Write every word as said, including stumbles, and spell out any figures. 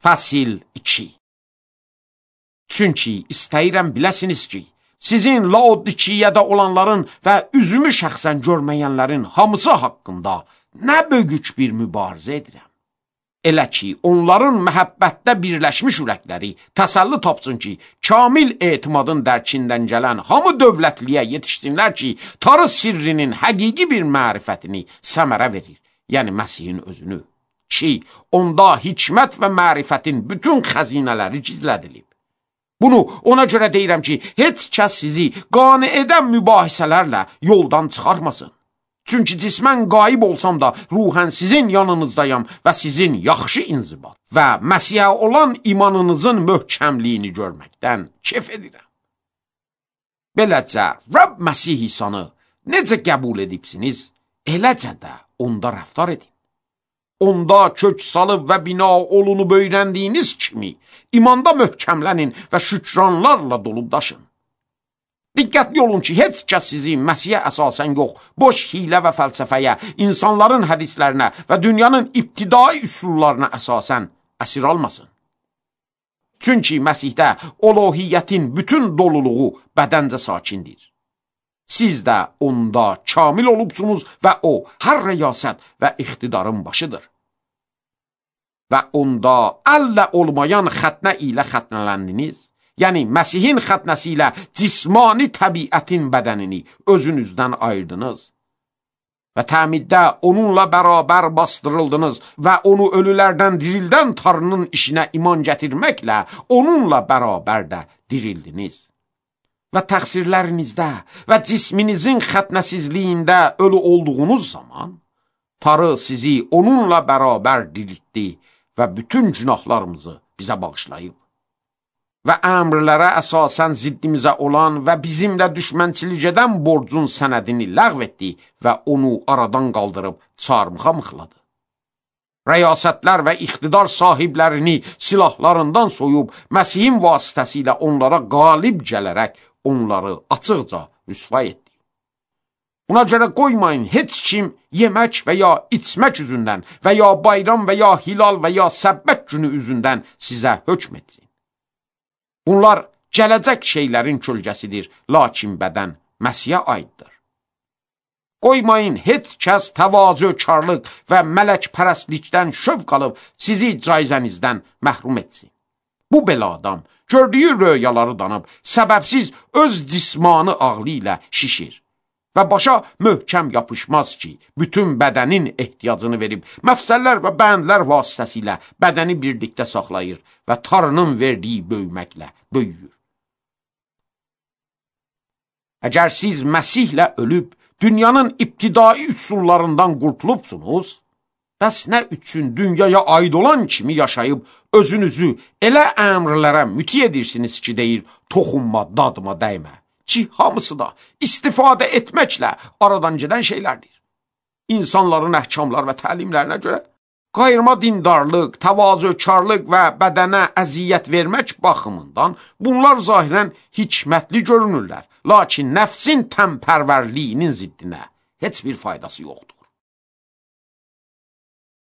Fəsil iki. Çünki istəyirəm biləsiniz ki, sizin Laodikiyədə olanların və üzümü şəxsən görməyənlərin hamısı haqqında nə böyük bir mübarizə edirəm. Elə ki, onların məhəbbətdə birləşmiş ürəkləri təsəlli tapsın ki, kamil etimadın dərkindən gələn hamı dövlətliyə yetişsinlər ki, Tanrı sirrinin həqiqi bir mərifətini səmərə verir, yəni Məsihin özünü. Ki, onda hikmət və mərifətin bütün xəzinələri gizlədilib. Bunu ona görə deyirəm ki, heç kəs sizi qane edən mübahisələrlə yoldan çıxarmasın. Çünki cismən qayib olsam da ruhən sizin yanınızdayam və sizin yaxşı inzibat və Məsihə olan imanınızın möhkəmliyini görməkdən kef edirəm. Beləcə, Rəbb Məsih İsanı necə qəbul edibsiniz, eləcə də onda rəftar edin. Onda kök salıb və bina olunub öyrəndiyiniz kimi imanda möhkəmlənin və şükranlarla dolub daşın. Diqqətli olun ki, heç kəs sizi Məsihə əsasən yox, boş hilə və fəlsəfəyə, insanların hədislərinə və dünyanın ibtidai üsullarına əsasən əsir almasın. Çünki Məsihdə olohiyyətin bütün doluluğu bədəncə sakindir. Siz də onda kamil olubsunuz və o hər rəyasət və iqtidarın başıdır. Və onda əllə olmayan xətnə ilə xətnələndiniz, yəni Məsihin xətnəsi ilə cismani təbiətin bədənini özünüzdən ayırdınız. Və təmiddə onunla bərabər bastırıldınız və onu ölülərdən dirildən Tanrının işinə iman gətirməklə onunla bərabər də dirildiniz. Və təqsirlərinizdə və cisminizin xətnəsizliyində ölü olduğunuz zaman Tanrı sizi onunla bərabər diriltdi və bütün günahlarımızı bizə bağışlayıb. Və əmrlərə əsasən ziddimizə olan və bizimlə düşmənçilik edən borcun sənədini ləğv etdi və onu aradan qaldırıb çarmıxa mıxladı. Rəyasətlər və iqtidar sahiblərini silahlarından soyub Məsihin vasitəsilə onlara qalib gələrək onları açıqca rüsva etdi. Buna görə qoymayın heç kim yemək və ya içmək üzündən və ya bayram və ya hilal və ya səbbət günü üzündən sizə hökm etsin. Bunlar gələcək şeylərin kölgəsidir, lakin bədən Məsihə aiddir. Qoymayın heç kəs təvazökarlıq və mələkpərəstlikdən şövq alıb sizi caizənizdən məhrum etsin. Bu belə adam gördüyü röyaları danıb, səbəbsiz öz cismanı ağlı ilə şişir və başa möhkəm yapışmaz ki, bütün bədənin ehtiyacını verib, məfsəllər və bəndlər vasitəsilə bədəni birlikdə saxlayır və Tanrının verdiyi böyüməklə böyüyür. Əgər siz Məsihlə ölüb, dünyanın ibtidai üsullarından qurtulubsunuz, bəs nə üçün dünyaya aid olan kimi yaşayıb, özünüzü elə əmrlərə müti edirsiniz ki, deyir, toxunma, dadıma dəymə. Ki, hamısı da istifadə etməklə aradan gedən şeylərdir. İnsanların əhkamlar və təlimlərinə görə qayırma dindarlıq, təvazökarlıq və bədənə əziyyət vermək baxımından bunlar zahirən hikmətli görünürlər, lakin nəfsin təmpərvərliyinin ziddinə heç bir faydası yoxdur.